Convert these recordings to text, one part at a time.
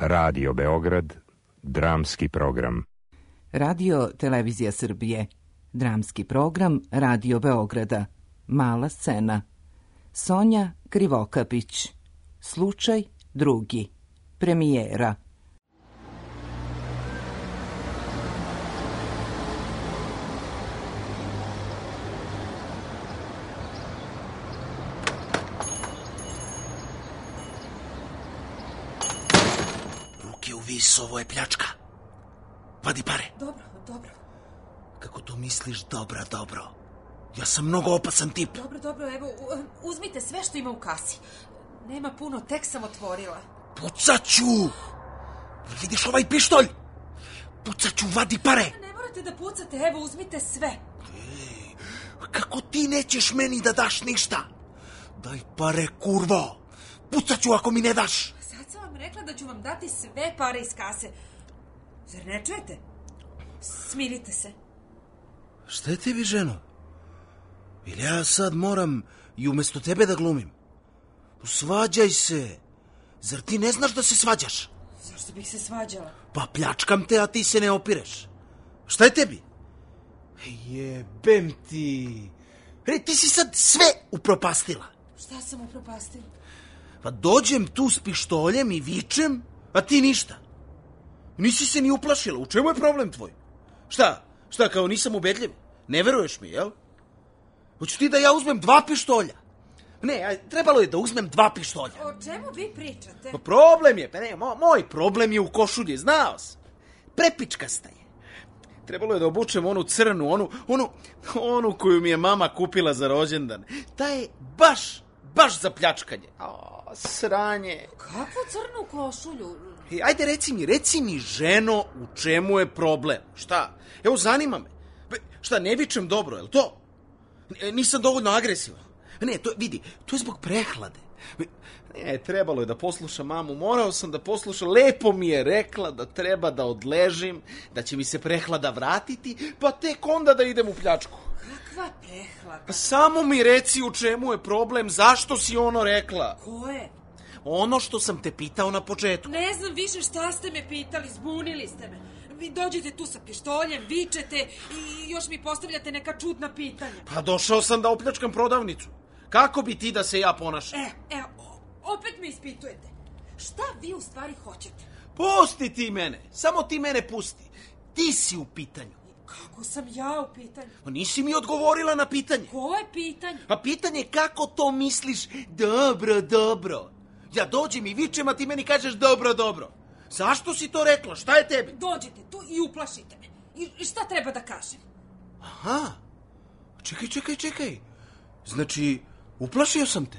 Radio Beograd, dramski program. Radio Televizija Srbije, dramski program Radio Beograda, mala scena. Sonja Krivokapić, slučaj drugi, premijera. Ovo je pljačka. Vadi pare. Dobro, dobro. Kako to misliš dobro? Ja sam mnogo opasan tip. Dobro, evo, uzmite sve što ima u kasi. Nema puno, tek sam otvorila. Pucaću! Vidiš ovaj pištolj? Pucaću, vadi pare. Ne morate da pucate, evo, uzmite sve. Ej, kako ti nećeš meni da daš ništa? Daj pare, kurvo. Pucaću ako mi ne daš. Rekla da ću vam dati sve pare iz kase. Zar ne čujete? Smirite se. Šta je tebi, ženo? Ili ja sad moram i umesto tebe da glumim? Svađaj se. Zar ti ne znaš da se svađaš? Zašto bih se svađala? Pa pljačkam te, a ti se ne opireš. Šta je tebi? Jebem ti. Ti si sad sve upropastila. Šta sam upropastila? Pa dođem tu s pištoljem i vičem, a ti ništa. Nisi se ni uplašila. U čemu je problem tvoj? Šta, kao nisam ubedljiv? Ne veruješ mi, jel? Hoću ti da ja uzmem 2 pištolja? Ne, trebalo je da uzmem 2 pištolja. O čemu vi pričate? Pa problem je, moj problem je u košulji, znao sam. Prepičkasta je. Trebalo je da obučem onu crnu, onu koju mi je mama kupila za rođendan. Ta je baš za pljačkanje. Sranje. Kakvu crnu košulju? Ajde, reci mi, ženo, u čemu je problem? Šta? Evo, zanima me. Šta, ne vičem dobro, je li to? Nisam dovoljno agresivan. Ne, to je zbog prehlade. Ne, trebalo je da poslušam mamu, morao sam da poslušam. Lepo mi je rekla da treba da odležim, da će mi se prehlada vratiti, pa tek onda da idem u pljačku. Kakva prehlada? Pa samo mi reci u čemu je problem, zašto si ono rekla? Koje? Ono što sam te pitao na početku. Ne znam više šta ste me pitali, zbunili ste me. Vi dođete tu sa pištoljem, vičete i još mi postavljate neka čudna pitanja. Pa došao sam da opljačkam prodavnicu. Kako bi ti da se ja ponašam? Opet me ispitujete. Šta vi u stvari hoćete? Pusti ti mene, samo ti mene pusti. Ti si u pitanju. Kako sam ja u pitanju? Nisi mi odgovorila na pitanje. Koje pitanje? A pitanje kako to misliš dobro. Ja dođem i vičem, a ti meni kažeš dobro. Zašto si to rekla? Šta je tebi? Dođete tu i uplašite me. I šta treba da kažem? Aha. Čekaj. Znači, uplašio sam te?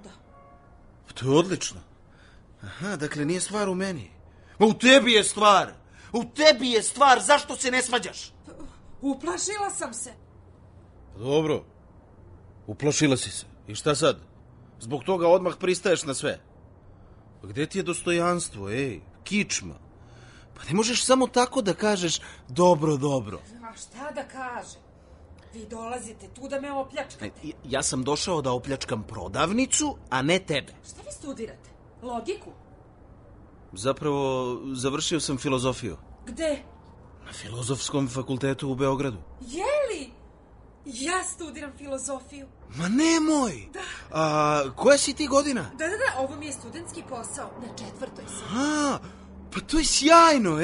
Da. To je odlično. Aha, dakle nije stvar u meni. Ma u tebi je stvar. Zašto se ne svađaš? Uplašila sam se. Dobro. Uplašila si se. I šta sad? Zbog toga odmah pristaješ na sve. Pa gde ti je dostojanstvo, kičma? Pa ne možeš samo tako da kažeš dobro. A šta da kažem? Vi dolazite tu da me opljačkate. Ja sam došao da opljačkam prodavnicu, a ne tebe. Šta vi studirate? Logiku? Zapravo, završio sam filozofiju. Gde? Na Filozofskom fakultetu u Beogradu. Jeli? Ja studiram filozofiju. Ma nemoj! Da. A koja si ti godina? Da, ovo mi je studentski posao. Na 4. sam. Pa to je sjajno,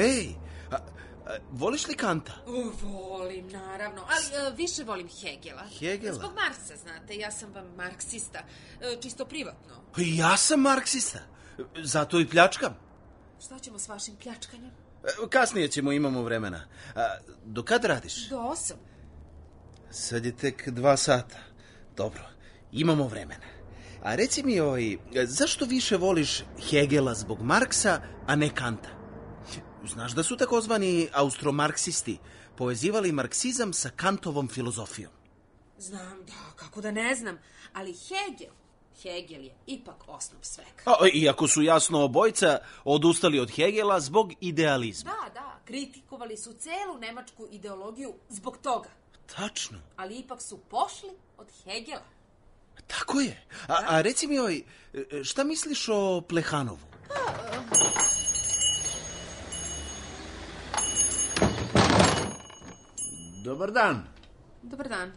voliš li Kanta? Volim, naravno, ali više volim Hegela. Hegela? Zbog Marksa, znate, ja sam vam marksista, čisto privatno. Pa i ja sam marksista, zato i pljačkam. Šta ćemo s vašim pljačkanjem? Kasnije imamo vremena. Do kad radiš? Do 8. Sad je tek 2 sata. Dobro, imamo vremena. A reci mi, zašto više voliš Hegela zbog Marksa, a ne Kanta? Znaš da su takozvani austromarksisti povezivali marksizam sa Kantovom filozofijom? Znam, da, kako da ne znam, ali Hegel je ipak osnov svega. Iako su jasno obojica odustali od Hegela zbog idealizma. Da, kritikovali su celu nemačku ideologiju zbog toga. Tačno. Ali ipak su pošli od Hegela. Tako je. A reci mi, šta misliš o Plehanovu? Dobar dan. Dobar dan.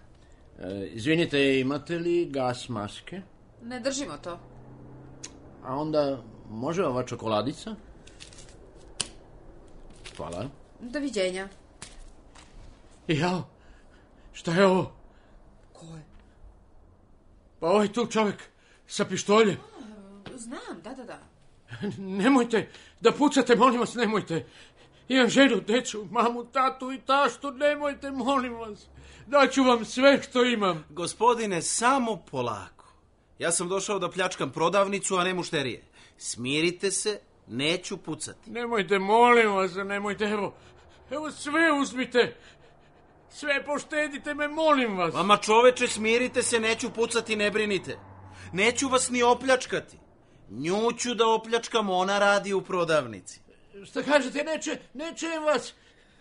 Izvinite, imate li gas maske? Ne držimo to. A onda može ova čokoladica? Hvala. Doviđenja. Jao, šta je ovo? Ko je? Pa ovaj tu čovjek sa pištoljem. Znam, da. Nemojte da pucate, molim vas, nemojte. Imam ženu, decu, mamu, tatu i taštu, nemojte, molim vas. Daću vam sve što imam. Gospodine, samo polako. Ja sam došao da pljačkam prodavnicu, a ne mušterije. Smirite se, neću pucati. Nemojte, molim vas, nemojte, evo sve uzmite. Sve poštedite me, molim vas. Vama čoveče, smirite se, neću pucati, ne brinite. Neću vas ni opljačkati. Nju ću da opljačkam, ona radi u prodavnici. Šta kažete, neće vas.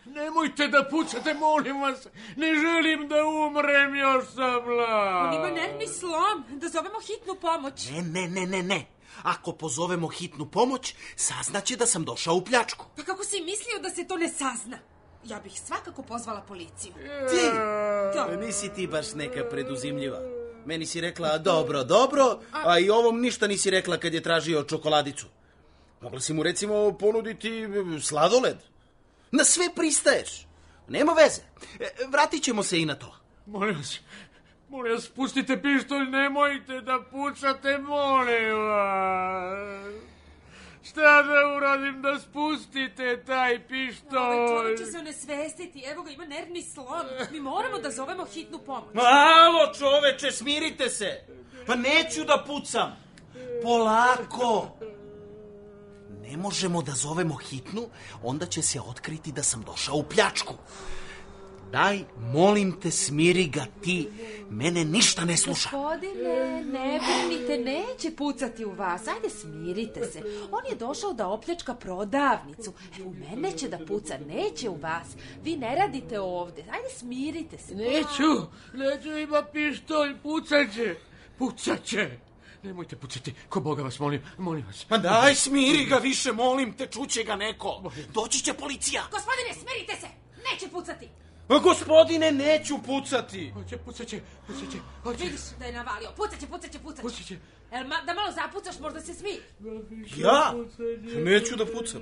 Nemojte da pucate, molim vas. Ne želim da umrem, još sam mlad. On ima nervni slom, da zovemo hitnu pomoć. Ne. Ako pozovemo hitnu pomoć, saznaće da sam došao u pljačku. Pa kako si mislio da se to ne sazna? Ja bih svakako pozvala policiju. Ti? Da. Nisi ti baš neka preduzimljiva. Meni si rekla dobro, a i ovom ništa nisi rekla kad je tražio čokoladicu. Mogla si mu recimo ponuditi sladoled. Na sve pristaješ. Nema veze. Vratit ćemo se i na to. Molim vas, pustite pištolj, nemojte da pucate, molim vas. Šta da uradim da spustite taj pištolj? Ovaj čovjek će se onesvestiti, evo ga, ima nervni slom. Mi moramo da zovemo hitnu pomoć. Alo, čoveče, smirite se. Pa neću da pucam. Polako. Ne možemo da zovemo hitnu, onda će se otkriti da sam došao u pljačku. Daj, molim te, smiri ga ti. Mene ništa ne sluša. Gospodine, ne brinite, neće pucati u vas. Ajde, smirite se. On je došao da opljačka prodavnicu. U mene će da puca, neće u vas. Vi ne radite ovde. Ajde, smirite se. Neću, ima pištolj, pucat će. Nemojte pucati, ko Boga vas molim vas. Pa daj, smiri ga više, molim te, čuće ga neko. Doći će policija. Gospodine, smirite se, neće pucati. Gospodine, neću pucati. Pucat će. Vidiš da je navalio, pucat će. Da malo zapucaš, možda se smi. Ja? Neću da pucam.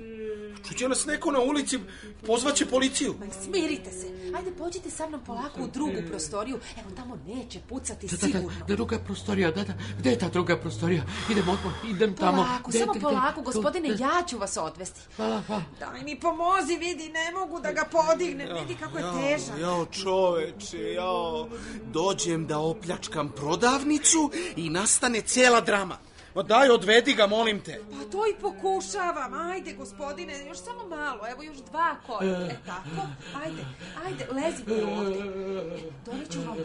Čuće nas neko na ulici, pozvaće policiju. Smirite se. Ajde, pođite sa mnom polako u drugu prostoriju. Evo, tamo neće pucati sigurno. Druga prostorija, da. Gde je ta druga prostorija? Idem tamo. Polako, gospodine, ja ću vas odvesti. Hvala. Daj mi pomozi, vidi, ne mogu da ga podignem. Vidi kako je težak. Jao, čoveče, dođem da opljačkam prodavnicu i nastane cela drama. Daj, odvedi ga, molim te. Pa to i pokušavam. Ajde, gospodine, još samo malo. Evo, još 2 koraka. Tako. Ajde, lezite ovde. Doneću vam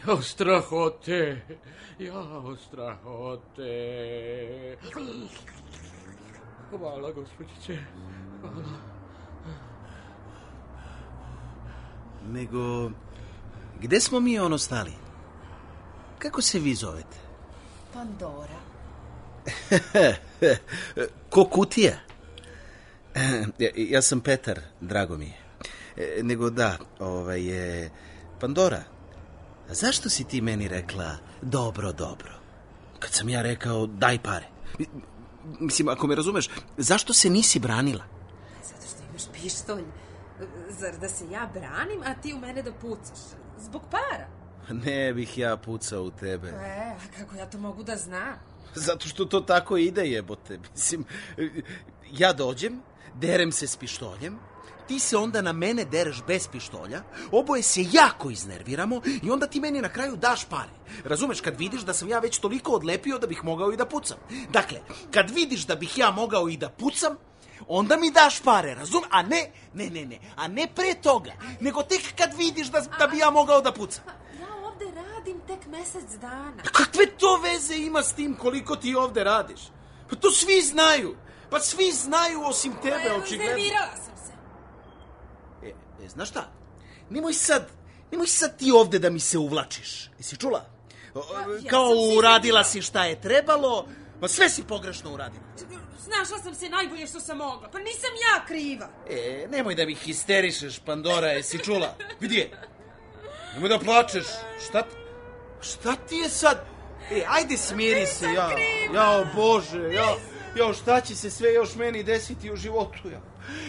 vode. Strahote. Hvala, gospođice. Hvala. Nego, gde smo mi stali? Kako se vi zovete? Pandora. Ko kutija? Ja sam Petar, drago mi je. Nego da, Pandora, zašto si ti meni rekla dobro? Kad sam ja rekao daj pare. Mislim, ako me razumeš, zašto se nisi branila? Zato što imaš pištolj. Zar da se ja branim, a ti u mene da pucaš? Zbog para? Ne bih ja pucao u tebe. A kako ja to mogu da znam? Zato što to tako ide, jebote. Mislim, ja dođem, derem se s pištoljem, ti se onda na mene dereš bez pištolja, oboje se jako iznerviramo i onda ti meni na kraju daš pare. Razumeš, kad vidiš da sam ja već toliko odlepio da bih mogao i da pucam. Dakle, kad vidiš da bih ja mogao i da pucam, onda mi daš pare, razum? A ne pre toga, nego tek kad vidiš da bi ja mogao da pucam. Ja ovde radim tek mesec dana. Kakve to veze ima s tim koliko ti ovde radiš? Pa to svi znaju. Pa svi znaju osim tebe, očigledno. Iznervirala sam se. Znaš šta? Nemoj sad ti ovde da mi se uvlačiš. Jesi čula? Kao uradila si šta je trebalo, pa sve si pogrešno uradila. Snašla sam se najbolje što sam mogla, pa nisam ja kriva. Nemoj da mi histerišeš, Pandora, jesi čula? Gdje? Nemoj da plačeš. Šta ti je sad? Ajde smiri se, jao Bože, jao šta će se sve još meni desiti u životu, ja.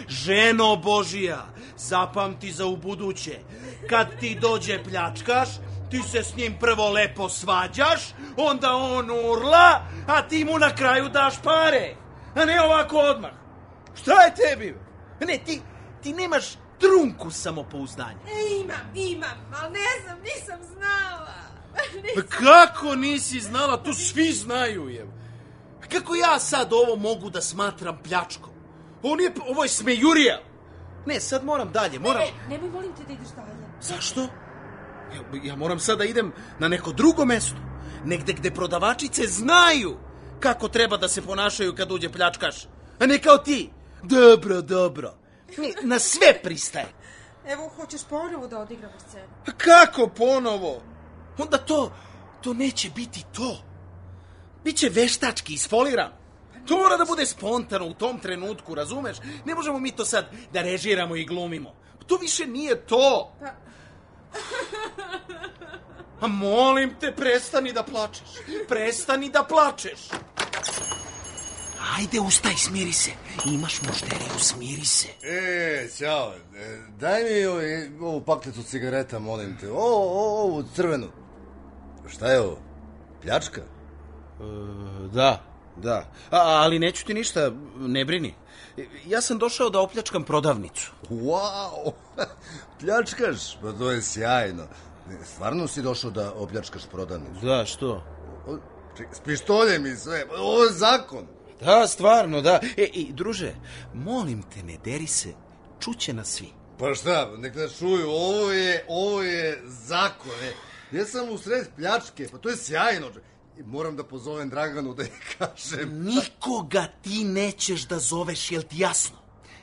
Ženo Božija, zapamti za ubuduće, kad ti dođe pljačkaš, ti se s njim prvo lepo svađaš, onda on urla, a ti mu na kraju daš pare, a ne ovako odmah. Šta je tebi? Ne, ti nemaš trunku samopouzdanja. Imam, ali ne znam, nisam znala. Pa kako nisi znala? To svi znaju, je. Kako ja sad ovo mogu da smatram pljačkom? Ovo je smejurija. Ne, sad moram dalje, Nemoj, molim te da ideš dalje. Zašto? Ja moram sad da idem na neko drugo mesto. Negde gde prodavačice znaju kako treba da se ponašaju kad uđe pljačkaš. A ne kao ti. Dobro. Na sve pristaje. Evo, hoćeš ponovo da odigramo scenu? A kako ponovo? Onda to neće biti to. Biće veštački, isfolirano. To mora da bude spontano u tom trenutku, razumeš? Ne možemo mi to sad da režiramo i glumimo. To više nije to. A molim te, prestani da plačeš. Ajde, ustaj, smiri se. Imaš mušteriju, smiri se. Ćao. Daj mi ovu paklicu cigareta, molim te. Ovu crvenu. Šta je ovo? Pljačka? Da. Ali neću ti ništa, ne brini. Ja sam došao da opljačkam prodavnicu. Wow! Pljačkaš? Pa to je sjajno. Stvarno si došao da opljačkaš prodavnicu? Da, što? S pištoljem i sve. Ovo je zakon. Da, stvarno, da. I druže, molim te, ne deri se, čuće nas svi. Pa šta, nek nas čuju, ovo je zakon. Ja sam u sred pljačke, pa to je sjajno. Moram da pozovem Draganu da je kažem. Nikoga ti nećeš da zoveš, jel ti jasno?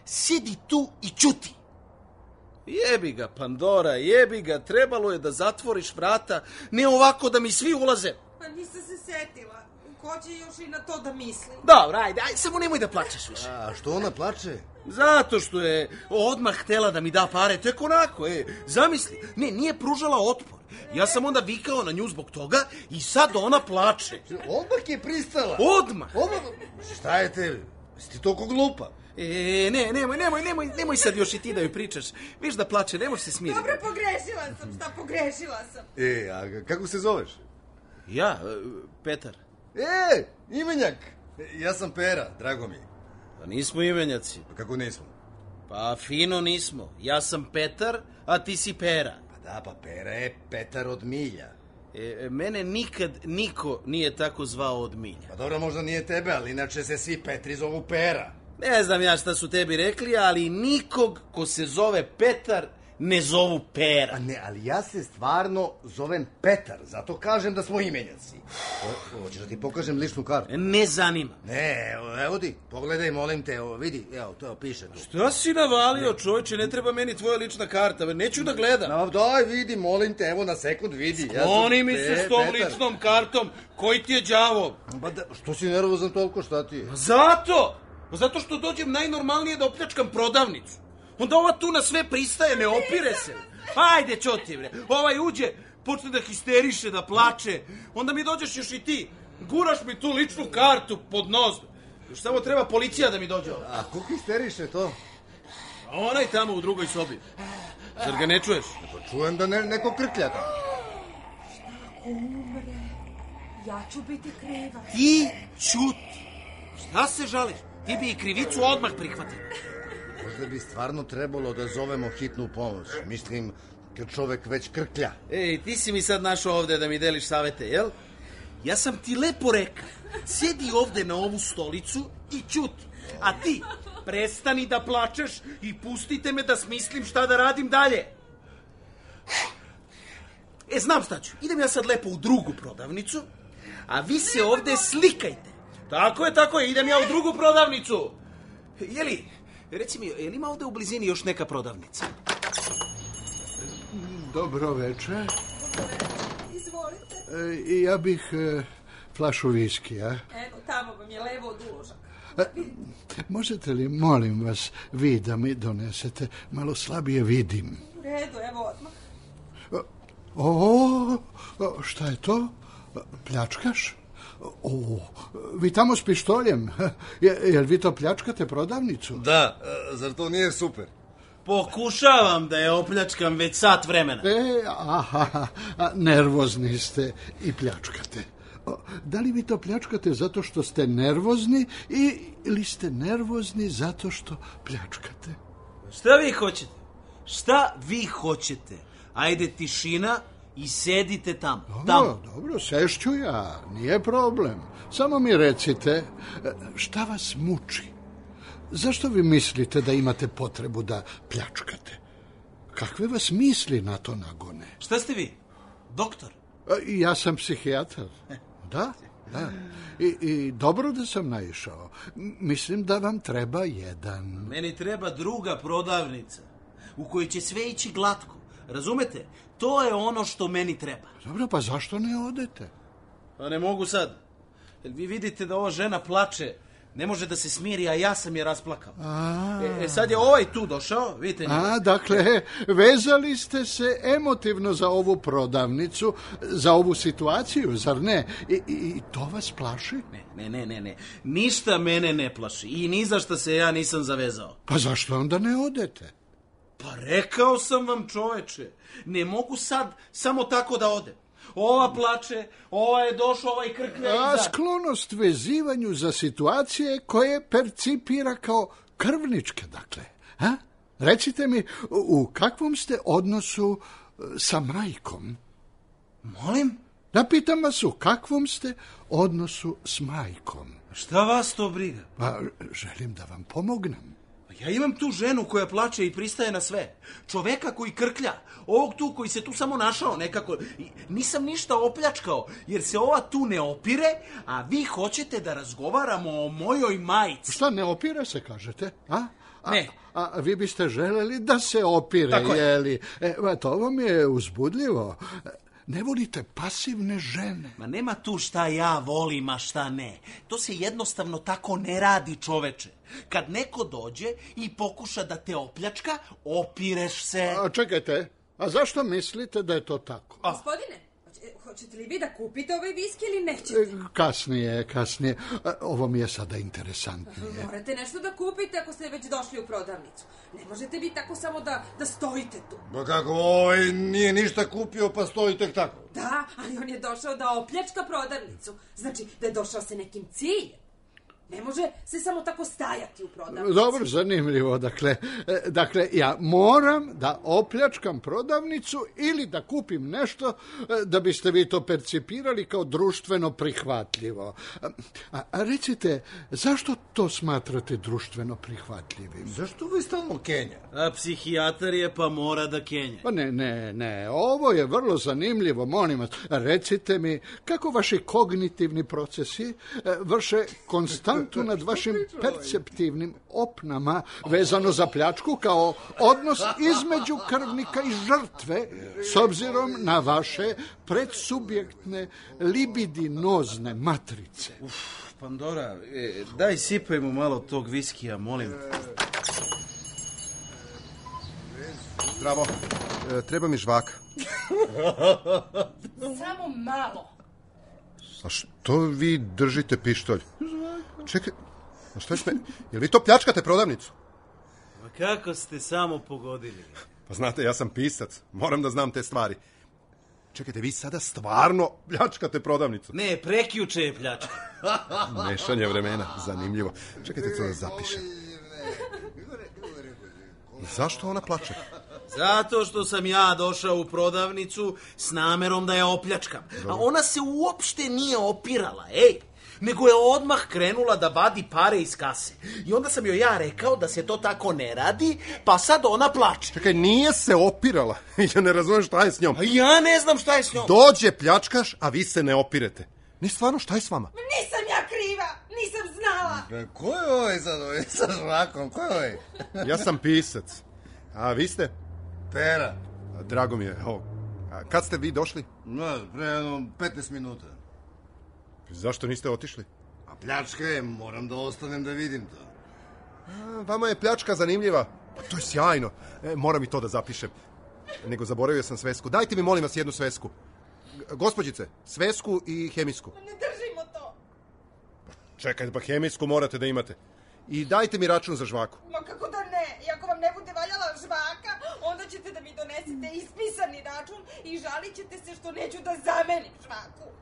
Sjedi tu i ćuti. Jebi ga, Pandora, trebalo je da zatvoriš vrata, ne ovako da mi svi ulaze. Pa nisam se setila. Ko će još i na to da misli? Dobro, ajde, samo nemoj da plačeš više. A što ona plače? Zato što je odmah htela da mi da pare, tek onako, zamisli. Ne, nije pružala otpor. Ja sam onda vikao na nju zbog toga i sad ona plače. Odmah je pristala. Odmah. Šta je tebi? Si ti toliko glupa? Nemoj sad još i ti da joj pričaš. Viš da plače, ne možeš se smiriti. Dobro, pogrešila sam. A kako se zoveš? Ja, Petar. Imenjak. Ja sam Pera, drago mi. Pa nismo imenjaci. Pa kako nismo? Pa fino nismo. Ja sam Petar, a ti si Pera. Pa Pera je Petar od Milja. Mene nikad niko nije tako zvao od Milja. Pa dobro, možda nije tebe, ali inače se svi Petri zovu Pera. Ne znam ja šta su tebi rekli, ali nikog ko se zove Petar ne zovu Pera. Ali ja se stvarno zovem Petar, zato kažem da smo imenjaci. Hoćeš da ti pokažem ličnu kartu? Ne zanima. Ne, evo ti, pogledaj, molim te, vidi, evo, to piše tu. Šta si navalio, čovječe, ne treba meni tvoja lična karta, neću da gledam. Daj, vidi, molim te, evo na sekund, vidi. Skloni mi se s tom ličnom kartom, koji ti je đavo? Što si nervozan toliko, šta ti je? Zato što dođem najnormalnije da opljačkam prodavnicu. Onda ova tu na sve pristaje, ne opire se. Ajde, ćoti, bre. Ovaj uđe, počne da histeriše, da plače. Onda mi dođeš još i ti. Guraš mi tu ličnu kartu pod nos. Još samo treba policija da mi dođe. A ko histeriše to? A onaj tamo u drugoj sobi. Zar ga ne čuješ? Pa čujem da neko krklja. Šta ako umre? Ja ću biti kriva. Ti ćuti. Šta se žališ? Ti bi i krivicu odmah prihvatio. Možda bi stvarno trebalo da zovemo hitnu pomoć. Mislim, kad čovek već krklja. Ti si mi sad našao ovde da mi deliš savete, jel? Ja sam ti lepo rekao. Sjedi ovde na ovu stolicu i ćuti. A ti, prestani da plačeš i pustite me da smislim šta da radim dalje. Znam šta ću. Idem ja sad lepo u drugu prodavnicu, a vi se ovde slikajte. Tako je, idem ja u drugu prodavnicu. Reci mi, je li ima ovde u blizini još neka prodavnica? Dobro večer. Izvolite. Ja bih flašu viskija. Evo, tamo vam je levo od uloža. Možete li, molim vas, vi da mi donesete? Malo slabije vidim. U redu, evo odmah. O, šta je to? Pljačkaš? O, vi tamo s pištoljem. Jel vi to pljačkate prodavnicu? Da, zar to nije super? Pokušavam da je opljačkam već sat vremena. Aha, nervozni ste i pljačkate. Da li vi to pljačkate zato što ste nervozni ili ste nervozni zato što pljačkate? Šta vi hoćete? Šta vi hoćete? Ajde, tišina i sedite tamo. Dobro, sešću ja, nije problem. Samo mi recite, šta vas muči? Zašto vi mislite da imate potrebu da pljačkate? Kakve vas misli na to nagone? Šta ste vi? Doktor? Ja sam psihijatar. Da. I dobro da sam naišao. Mislim da vam treba jedan. Meni treba druga prodavnica u kojoj će sve ići glatko. Razumete? To je ono što meni treba. Dobro, pa zašto ne odete? Pa ne mogu sad. Jer vi vidite da ova žena plače. Ne može da se smiri, a ja sam je rasplakao. Sad je ovaj tu došao, vidite njega. Dakle, vezali ste se emotivno za ovu prodavnicu, za ovu situaciju, zar ne? I to vas plaši? Ne. Ništa mene ne plaši i ni za šta se ja nisam zavezao. Pa zašto onda ne odete? Pa rekao sam vam, čoveče, ne mogu sad samo tako da odem. Ova plače, ova je došla, ovaj krklja iza. Sklonost vezivanju za situacije koje percipira kao krvničke, dakle. Recite mi, u kakvom ste odnosu sa majkom? Molim? Da pitam vas, u kakvom ste odnosu s majkom? Šta vas to briga? Pa, želim da vam pomognem. Ja imam tu ženu koja plače i pristaje na sve. Čoveka koji krklja. Ovog tu koji se tu samo našao nekako. Nisam ništa opljačkao, jer se ova tu ne opire, a vi hoćete da razgovaramo o mojoj majici. Šta, ne opire se, kažete? Ne. A vi biste želeli da se opire, tako jeli? To vam je uzbudljivo. Ne volite pasivne žene. Ma nema tu šta ja volim, a šta ne. To se jednostavno tako ne radi, čoveče. Kad neko dođe i pokuša da te opljačka, opireš se. Čekajte, a zašto mislite da je to tako? Gospodine, hoćete li vi da kupite ovaj viski ili nećete? Kasnije. Ovo mi je sada interesantnije. Morate nešto da kupite ako ste već došli u prodavnicu. Ne možete vi tako samo da stojite tu. Pa kako, nije ništa kupio pa stoji tek tako. Da, ali on je došao da opljačka prodavnicu. Znači da je došao sa nekim ciljem. Ne može se samo tako stajati u prodavnici. Dobro, zanimljivo. Dakle, ja moram da opljačkam prodavnicu ili da kupim nešto da biste vi to percipirali kao društveno prihvatljivo. A recite, zašto to smatrate društveno prihvatljivim? Zašto vi stalno kenja? A psihijatar je pa mora da kenja. Pa ne, ovo je vrlo zanimljivo, molim vas. Recite mi, kako vaši kognitivni procesi vrše konstantno nad vašim perceptivnim opnama vezano za pljačku kao odnos između krvnika i žrtve s obzirom na vaše predsubjektne libidinozne matrice. Pandora, daj sipaj mu malo tog viskija, molim. Zdravo, treba mi žvaka. Samo malo. A što vi držite pištolj? Čekaj, a što je jel vi to pljačkate prodavnicu? Ma kako ste samo pogodili? Pa znate, ja sam pisac, moram da znam te stvari. Čekajte, vi sada stvarno pljačkate prodavnicu? Ne, prekjuče je pljačka. Mešanje vremena, zanimljivo. Čekajte, to da zapišem. Zašto ona plače? Zato što sam ja došao u prodavnicu s namerom da je opljačkam. A ona se uopšte nije opirala, nego je odmah krenula da vadi pare iz kase. I onda sam joj ja rekao da se to tako ne radi, pa sad ona plače. Čekaj, nije se opirala. Ja ne razumem šta je s njom. A ja ne znam šta je s njom. Dođe pljačkaš, a vi se ne opirete. Ne, stvarno, šta je s vama? Nisam ja kriva, nisam znala. Ko je ovaj sa žvakom, ko je ovaj? Ja sam pisac. A vi ste? Pera. Drago mi je. A kad ste vi došli? Pre 15 minuta. Zašto niste otišli? A pljačka je, moram da ostanem da vidim to. Vama je pljačka zanimljiva. Pa to je sjajno. Moram i to da zapišem. nego zaboravio sam svesku. Dajte mi, molim vas, jednu svesku. Gospođice, svesku i hemijsku. Ne držimo to. Čekajte, pa hemijsku morate da imate. I dajte mi račun za žvaku. Ma kako da ne? I ako vam ne bude valjala žvaka, onda ćete da mi donesete ispisani račun i žalit ćete se što neću da zamenim žvaku.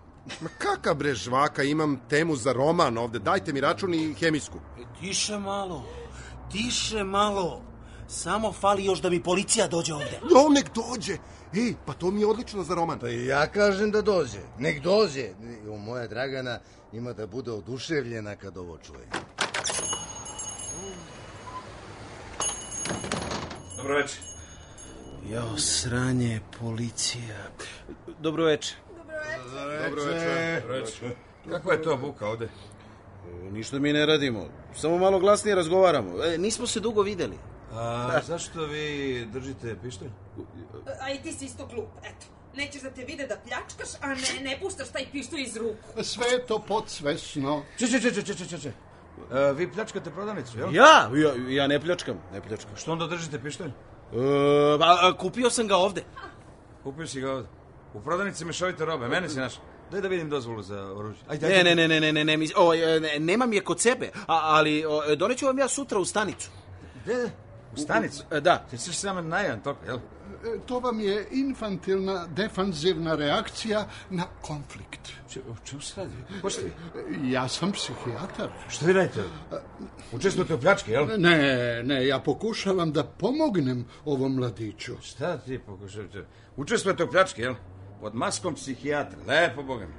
Ma kakav bre žvaka, imam temu za roman ovde. Dajte mi račun i hemijsku. Tiše malo. Samo fali još da mi policija dođe ovde. No, nek dođe. Ej, pa to mi je odlično za roman. Pa i ja kažem da dođe. Nek dođe. Moja Dragana ima da bude oduševljena kad ovo čuje. Dobro večer. Jao, sranje, policija. Dobro večer. Dobro večer. Kakva je to buka ovde? Ništa mi ne radimo. Samo malo glasnije razgovaramo. Nismo se dugo videli. A zašto vi držite pištolj? A i ti si isto glup, eto. Nećeš da te vide da pljačkaš, a ne puštaš taj pištolj iz ruku. Sve je to podsvesno. Če. Vi pljačkate prodavnicu, jel? Ja ne pljačkam. Što onda držite pištolj? Kupio sam ga ovde. Kupio si ga ovde. U prodavnici mešovite robe, mene si našao. Daj da vidim dozvolu za oružje. Ne, nemam je kod sebe, ali doneću vam ja sutra u stanicu. Gde? U stanicu? Da. Ti ćeš samo najan toliko, jel? To vam je infantilna, defanzivna reakcija na konflikt. O čemu se radi? Ko ste vi? Ja sam psihijatar. Što vi radite? Učestvujete u pljački, jel? Ne, ja pokušavam da pomognem ovom mladiću. Šta ti pokušavate? Učestvujete u pljački, jel? Pod maskom psihijatra, lepo Boga mi.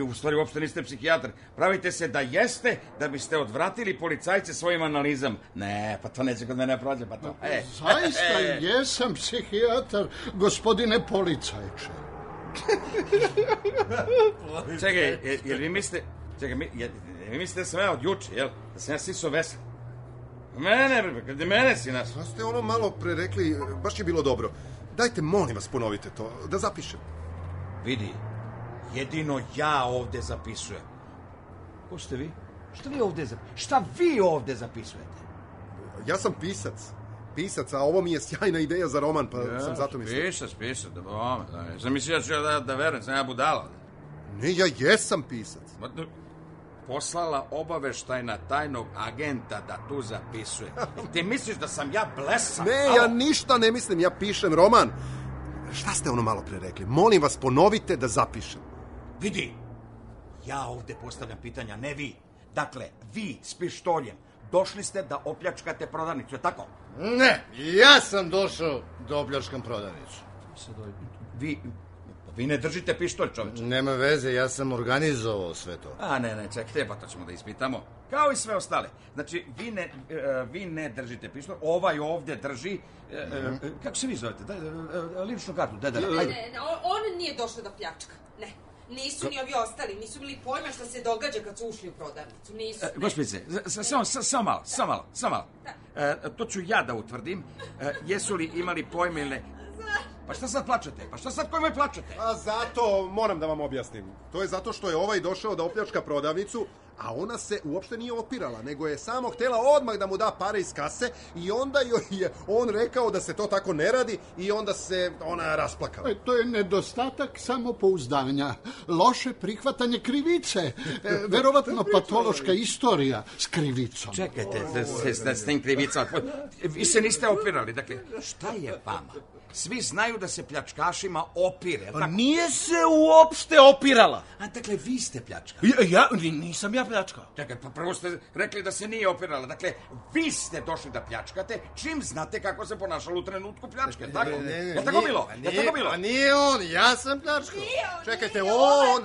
U stvari uopšte niste psihijatar. Pravite se da jeste, da biste odvratili policajce svojim analizam. Ne, pa to neće kod mene prođe, pa to. Zaista jesam psihijatar, gospodine policajče. Čekaj, jel vi mislite... vi mislite da sam ja od juče, jel? Da sam ja siso vesel? Mene si nas. Pa ste ono malo pre rekli, baš je bilo dobro. Dajte, molim vas, ponovite to, da zapišem. Vidi, jedino ja ovde zapisujem. Ko ste vi? Šta vi ovde zapisujete? Ja sam pisac, a ovo mi je sjajna ideja za roman, pa sam zato mislio. Pisac, da sam mislio da verujem, sam ja budala. Ne, ja jesam pisac. Poslala obaveštajna tajnog agenta da tu zapisuje. Ti misliš da sam ja blesav? Ne, ja ništa ne mislim, ja pišem roman. Šta ste ono malo pre rekli? Molim vas, ponovite da zapišem. Vidi, ja ovde postavljam pitanja, ne vi. Dakle, vi s pištoljem došli ste da opljačkate prodavnicu, je tako? Ne, ja sam došao da opljačkam prodavnicu. Vi ne držite pištolj, čoveče. Nema veze, ja sam organizovao sve to. Ne, čekajte, pa to ćemo da ispitamo. Kao i sve ostale. Znači, vi ne držite pištolj, ovaj ovde drži... kako se vi zovete? Ličnu kartu, ajde. Ne, on nije došao da pljačka, ne. Nisu ni ovi ostali, nisu bili pojma šta se događa kad su ušli u prodavnicu, nisu. Gospodice, samo malo. To ću ja da utvrdim. Jesu li imali pojma ili ne? Pa šta sad plačete? Pa šta sad kojima plačete? A zato moram da vam objasnim. To je zato što je ovaj došao da opljačka prodavnicu, a ona se uopšte nije opirala, nego je samo htela odmah da mu da pare iz kase i onda joj je on rekao da se to tako ne radi i onda se ona rasplakala. To je nedostatak samopouzdanja, loše prihvatanje krivice, verovatno patološka istorija s krivicom. Čekajte, s tim krivicama. Vi se niste opirali, dakle, šta je vama? Svi znaju da se pljačkašima opire. Pa nije se uopšte opirala. A dakle, vi ste pljačkali. Nisam ja pljačkao. Čekaj, pa prvo ste rekli da se nije opirala. Dakle, vi ste došli da pljačkate, čim znate kako se ponašalo u trenutku pljačke. Tako? Je tako bilo? Pa nije on, ja sam pljačkao. Čekajte, on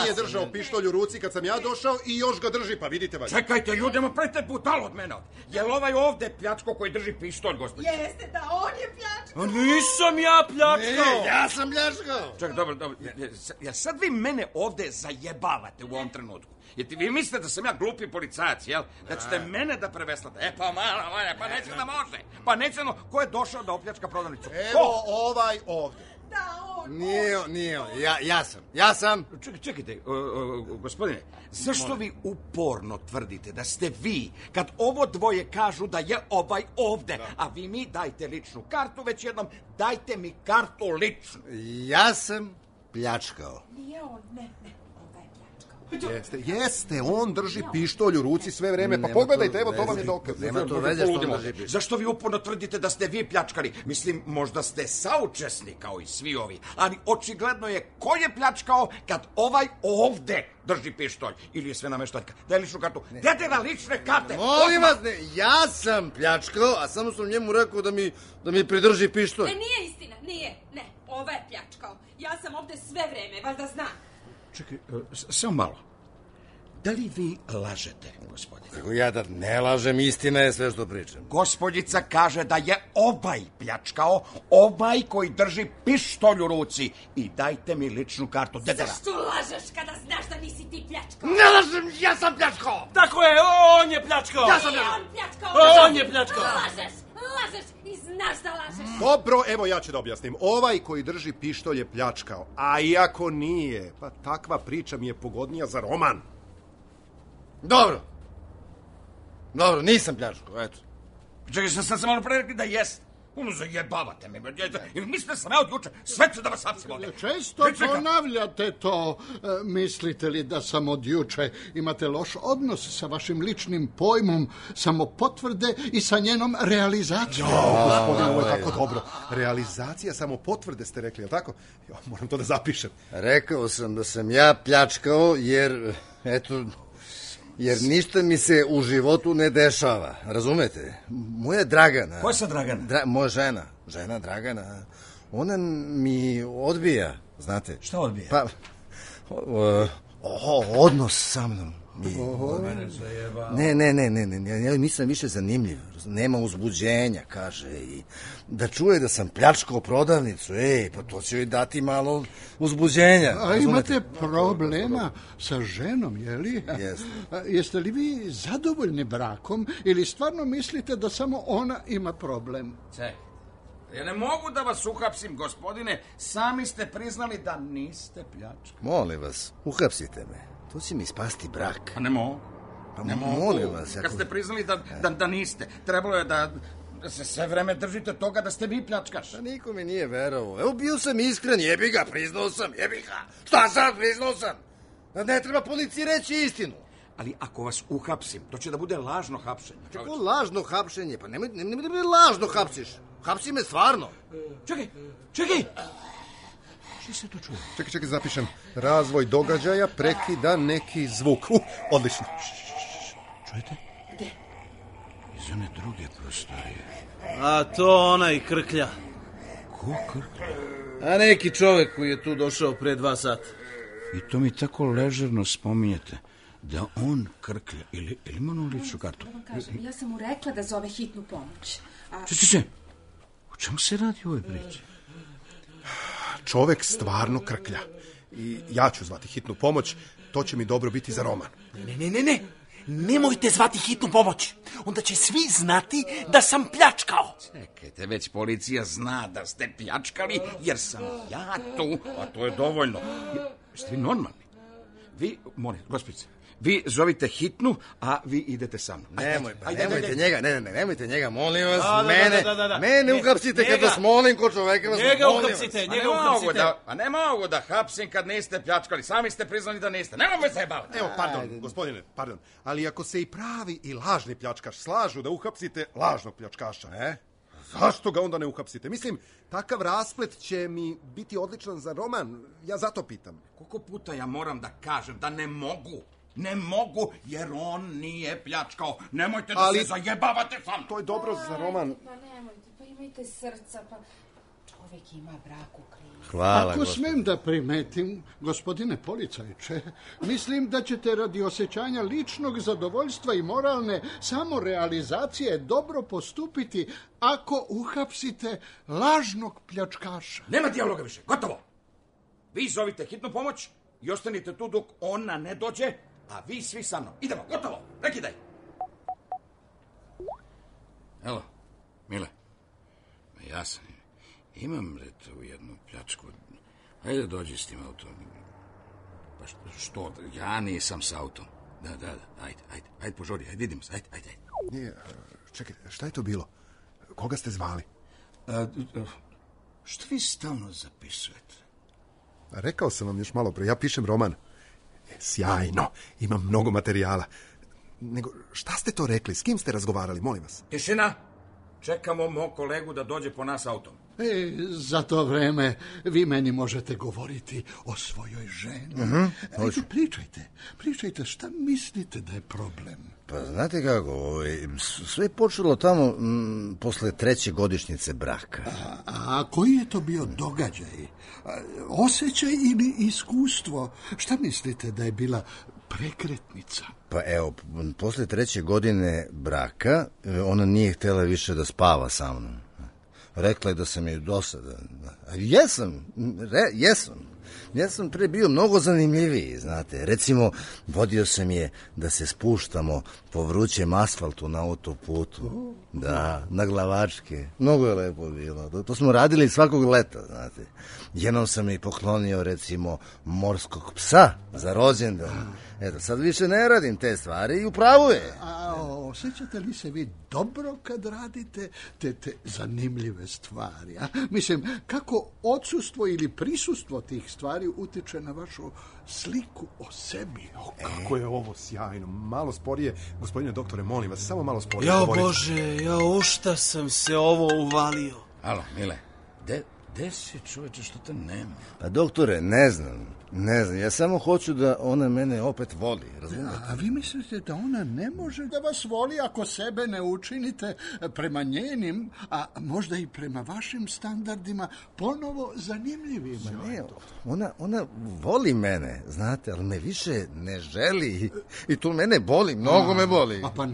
je držao pištolj u ruci kad sam ja došao i još ga drži, pa vidite valjda. Čekajte, ljudima, prete butal od mene. Jel ovaj ovde pljačko koji drži pištolj, gospođe? Jeste, da, on je pljačkao. Nisam ja pljačkao. Ne, ja sam pljačkao. Čekaj, dobro. Sad vi mene ovde zajebavate u ovom trenutku. Jer vi mislite da sam ja glupi policajac, jel? Da ćete mene da preveslate. Pa neće da može. Pa neće ko je došao da opljačka prodavnicu? Evo ovaj ovde. Da, on. Nije on. Ja sam. Čekajte, gospodine, zašto vi uporno tvrdite da ste vi, kad ovo dvoje kažu da je ovaj ovde, a vi mi dajte ličnu kartu, već jednom dajte mi kartu ličnu. Ja sam pljačkao. Nije on, ne, ovaj je pljačkao. Jeste, on drži pištolj u ruci sve vreme, pa pogledajte, evo to vam je dokaz. Nema to veze što on drži pištolj. Zašto vi uporno tvrdite da ste vi pljačkali? Mislim, možda ste saučesni kao i svi ovi, ali očigledno je ko je pljačkao kad ovaj ovde drži pištolj. Ili je sve nameštaljka. Daj ličnu kartu. Dajte na lične karte. Molim vas, ne, ja sam pljačkao, a samo sam njemu rekao da mi pridrži pištolj. Nije istina, nije, ne, ovaj je pljačkao. Ja sam ovde sve vreme, valjda znam. Čekaj, samo malo. Da li vi lažete, gospodine? Ja da ne lažem, istina je sve što pričam. Gospodjica kaže da je ovaj pljačkao, ovaj koji drži pištolj u ruci. I dajte mi ličnu kartu. Zašto lažeš kada znaš da nisi ti pljačkao? Ne lažem, ja sam pljačkao! Tako je, on je pljačkao! Ja sam pljačkao! On je pljačkao! Lažeš i znaš da lažeš. Dobro, evo ja ću da objasnim. Ovaj koji drži pištolj je pljačkao, a iako nije, pa takva priča mi je pogodnija za roman. Dobro, nisam pljačkao, eto. Čekaj, sad sam malo pre rekli da jest. Zajebavate me. Mislite da sam ja od juče. Sve ću da vas hapsim ovdje. Često ponavljate to. Mislite li da sam od juče? Imate loš odnos sa vašim ličnim pojmom samopotvrde i sa njenom realizacijom. Gospodine, ovo je tako dobro. Realizacija samopotvrde ste rekli, je li tako? Moram to da zapišem. Rekao sam da sam ja pljačkao jer, eto... Jer ništa mi se u životu ne dešava, razumete? Moja Dragana... Ko je sad Dragana? Moja žena Dragana, ona mi odbija, znate. Šta odbija? Pa, odnos sa mnom. Ne, ja nisam više zanimljiv. Nema uzbuđenja, kaže. I da čuje da sam pljačkao prodavnicu, pa to će joj dati malo uzbuđenja. A imate problema sa ženom, je li? Jeste. Jeste li vi zadovoljni brakom ili stvarno mislite da samo ona ima problem? Čekaj. Ja ne mogu da vas uhapsim, gospodine. Sami ste priznali da niste pljačkali. Molim vas, uhapsite me. To će mi spasti brak. Pa ne mogu. Ne mogu. Kad ste priznali da niste, trebalo je da se sve vreme držite toga da ste vi pljačkaš. Pa niko mi nije verovao. Evo, bio sam iskren, jebi ga, priznao sam. Šta sad, priznao sam? Ne treba policiji reći istinu. Ali ako vas uhapsim, to će da bude lažno hapšenje. Kako lažno hapšenje? Pa nemoj da me lažno hapsiš. Hapsi me stvarno. Čekaj! Što se to čuje? Čekaj, zapišem. Razvoj događaja prekida neki zvuk. Odlično. Čujete? Gde? Iz one druge prostorije. A to onaj Krklja. Ko Krklja? A neki čovek koji je tu došao pre 2 sata. I to mi tako ležerno spominjete. Da on Krklja. Ili ima onu ličnu kartu? Ja sam mu rekla da zove hitnu pomoć. Če. O čemu se radi u ovoj priči? Čovek stvarno Krklja. I ja ću zvati hitnu pomoć. To će mi dobro biti za roman. Ne. Nemojte zvati hitnu pomoć. Onda će svi znati da sam pljačkao. Čekajte, već policija zna da ste pljačkali, jer sam ja tu, a to je dovoljno. Jeste vi normalni? Vi, molim, gospođice, vi zovite hitnu, a vi idete sa mnom. Nemojte njega, molim vas. Mene uhapsite kad vas molim, ko čoveka vas molim. Njega uhapsite. A ne mogu da hapsim kad niste pljačkali. Sami ste priznali da niste. Ne mogu se jebavati. Evo, gospodine, ali ako se i pravi i lažni pljačkaš slažu da uhapsite lažnog pljačkaša, zašto ga onda ne uhapsite? Mislim, takav rasplet će mi biti odličan za roman. Ja zato pitam. Koliko puta ja moram da kažem da ne mogu? Ne mogu, jer on nije pljačkao. Nemojte da se zajebavate sam. To je dobro za roman. Pa nemojte, pa imajte srca, pa čovjek ima brak u krivu. Hvala, Ako smem da primetim, gospodine policajče, mislim da ćete radi osjećanja ličnog zadovoljstva i moralne samorealizacije dobro postupiti ako uhapsite lažnog pljačkaša. Nema dijaloga više, gotovo. Vi zovite hitnu pomoć i ostanite tu dok ona ne dođe, a vi svi sa mnom. Idemo, gotovo, prekidaj. Evo, Mile, ja sam imam tu jednu pljačku. Ajde, dođi s tim autom. Pa što, ja nisam s autom. Da, ajde, požuri, ajde, vidimo se, ajde. Nije, čekajte, šta je to bilo? Koga ste zvali? Što vi stalno zapisujete? Rekao sam vam još malo pre, ja pišem roman. Sjajno, imam mnogo materijala. Nego, šta ste to rekli? S kim ste razgovarali, molim vas? Tišina! Čekamo mog kolegu da dođe po nas autom. Za to vreme vi meni možete govoriti o svojoj ženi. Ajde, pričajte, šta mislite da je problem? Pa znate kako, sve je počelo tamo posle 3. godišnjice braka. A koji je to bio događaj? Osjećaj ili iskustvo? Šta mislite da je bila prekretnica? Pa evo, posle 3. godine braka ona nije htjela više da spava sa mnom. Rekla je da sam joj dosadan. Jesam pre bio mnogo zanimljiviji, znate. Recimo, vodio sam je da se spuštamo po vrućem asfaltu na autoputu. Da, na glavačke. Mnogo je lepo bilo. To smo radili svakog leta, znate. Jednom sam i poklonio, recimo, morskog psa za rođendan. Eto, sad više ne radim te stvari i upravo je. A osjećate li se vi dobro kad radite te zanimljive stvari? A? Mislim, kako odsustvo ili prisustvo tih stvari utiče na vašu sliku o sebi? Kako je ovo sjajno. Malo sporije, gospodine doktore, molim vas, samo malo sporije. Jao Bože, u šta sam se ovo uvalio? Alo, Mile, gde si, čoveče, što te nema? Pa doktore, ne znam, ja samo hoću da ona mene opet voli, razumete? A vi mislite da ona ne može da vas voli ako sebe ne učinite prema njenim, a možda i prema vašim standardima ponovo zanimljivima? Ne, ona voli mene, znate, ali me više ne želi i to mene boli, mnogo me boli. Pa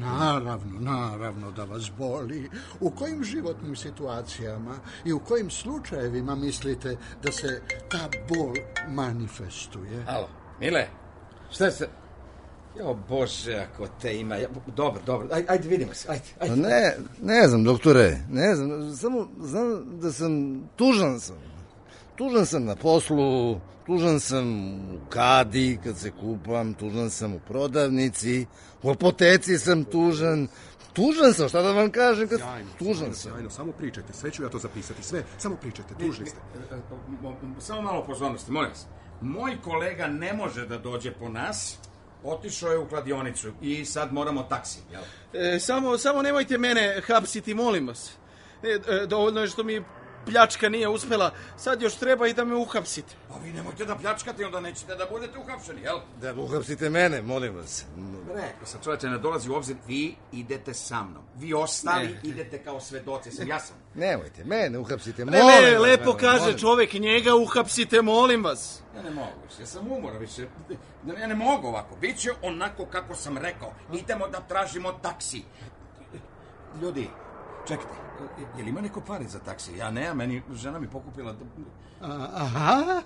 naravno da vas boli. U kojim životnim situacijama i u kojim slučajevima mislite da se ta bol manifestuje? Alo, Mile, šta se... Jo, Bože, ako te ima... Dobro, ajde, vidimo se, ajde. Ne znam, doktore, ne znam, samo znam da sam tužan. Tužan sam na poslu, tužan sam u kadi kad se kupam, tužan sam u prodavnici, u apoteci sam tužan. Tužan sam, šta da vam kažem kad... Tužan sam. Sjajno, samo pričajte, sve ću ja to zapisati, sve, samo pričajte, tužni ste. Samo malo pozornosti, molim vas. Moj kolega ne može da dođe po nas, otišao je u kladionicu i sad moramo taksi, jel? Samo nemojte mene hapsiti, molim vas. Dovoljno je što mi pljačka nije uspela, sad još treba i da me uhapsite. Pa vi nemojte da pljačkate, onda nećete da budete uhapšeni, jel? Da uhapsite mene, molim vas. Rekao sam, čovječe, ne dolazi u obzir, vi idete sa mnom. Vi ostali idete kao svedoci, sam jasan. Nemojte, mene uhapsite, molim vas. Ne, lepo kaže čovjek, njega uhapsite, molim vas. Ja ne mogu više, ja sam umora više. Ja ne mogu ovako, bit će onako kako sam rekao. Idemo da tražimo taksi. Ljudi, čekajte, je li ima neko pare za taksi? Ja ne, meni žena mi pokupila... Aha,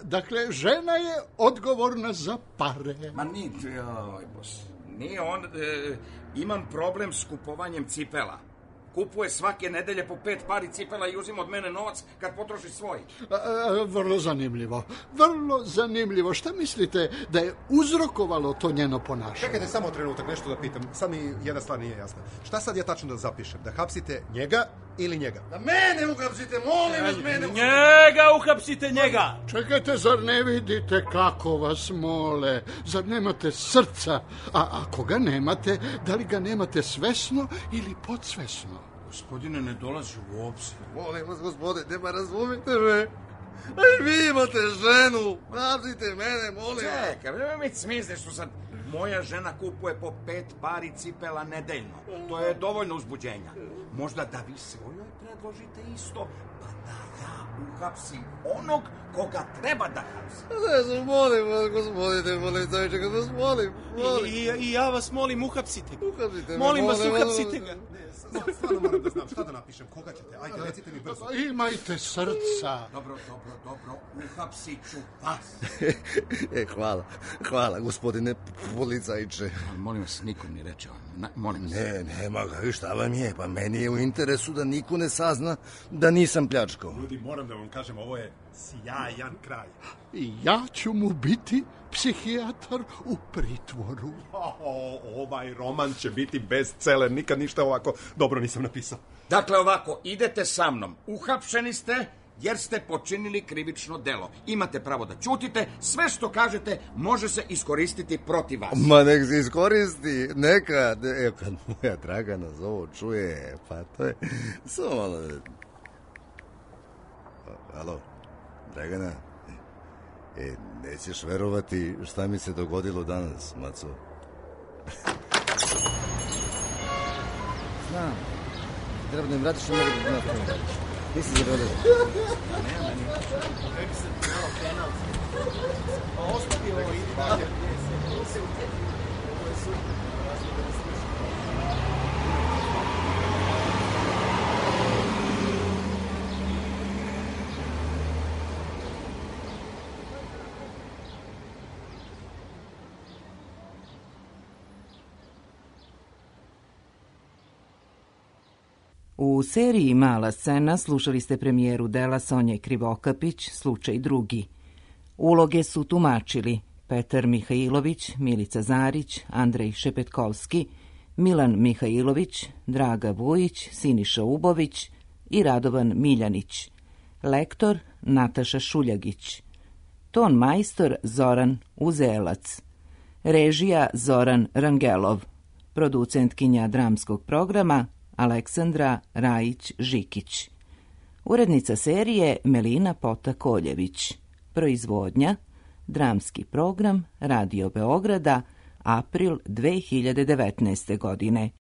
dakle, žena je odgovorna za pare. Ma nije on, imam problem s kupovanjem cipela. Kupuje svake nedelje po 5 pari cipela i uzima od mene novac kad potroši svoj. Vrlo zanimljivo. Šta mislite da je uzrokovalo to njeno ponašanje? Čekajte samo trenutak, nešto da pitam. Sad mi jedna stvar nije jasna. Šta sad ja tačno da zapišem? Da hapsite njega ili njega? Da mene uhapsite, molim vas, mene uhapsite. Njega uhapsite, njega! Čekajte, zar ne vidite kako vas mole? Zar nemate srca? A ako ga nemate, da li ga nemate svesno ili podsvesno? Gospodine, ne dolazi u obzir. Molim vas, gospodine, nema razumite me. Aj, vi imate ženu, hapsite mene, molim vas. Čekaj, nema mi smisle što sad moja žena kupuje po 5 pari cipela nedeljno. To je dovoljno uzbuđenja. Možda da vi svojoj predložite isto, pa da ja uhapsim onog koga treba da hapsim. Molim vas, gospodine, molim vas, molim. I ja vas molim, uhapsite ga. Uhapsite me, molim vas, uhapsite ga. Stvarno moram da znam šta da napišem, koga ćete, ajde, recite mi brzo. Imajte srca. Dobro, uhapsit ću vas. Hvala, gospodine policajče. Molim vas, nikom ni reče. Molim vas. Ne, nema ga, šta vam je? Pa meni je u interesu da niko ne sazna da nisam pljačkao. Ljudi, moram da vam kažem, ovo je sjajan kraj. I ja ću mu biti psihijatar u pritvoru. Ovaj roman će biti bestseller, nikad ništa ovako dobro nisam napisao. Dakle, ovako, idete sa mnom. Uhapšeni ste jer ste počinili krivično delo. Imate pravo da ćutite, sve što kažete može se iskoristiti protiv vas. Ma nek se iskoristi, nekad, kad moja Dragana za ovo čuje, pa to je, samo malo... Alo, Dragana, nećeš verovati šta mi se dogodilo danas, maco. Znam, treba da im vratiš što mogu da napravim. Nisi zaboravio. Nema ni. Kako se malo penalski. Ostavi ovo, idi dalje. Ovo je super. U seriji Mala scena slušali ste premijeru dela Sonje Krivokapić, Slučaj drugi. Uloge su tumačili Petar Mihajlović, Milica Zarić, Andrej Šepetkovski, Milan Mihajlović, Draga Vujić, Siniša Ubović i Radovan Miljanić. Lektor Nataša Šuljagić. Ton majstor Zoran Uzelac. Režija Zoran Rangelov. Producentkinja dramskog programa Aleksandra Rajić-Žikić. Urednica serije Melina Pota-Koljević. Proizvodnja Dramski program Radio Beograda, april 2019. godine.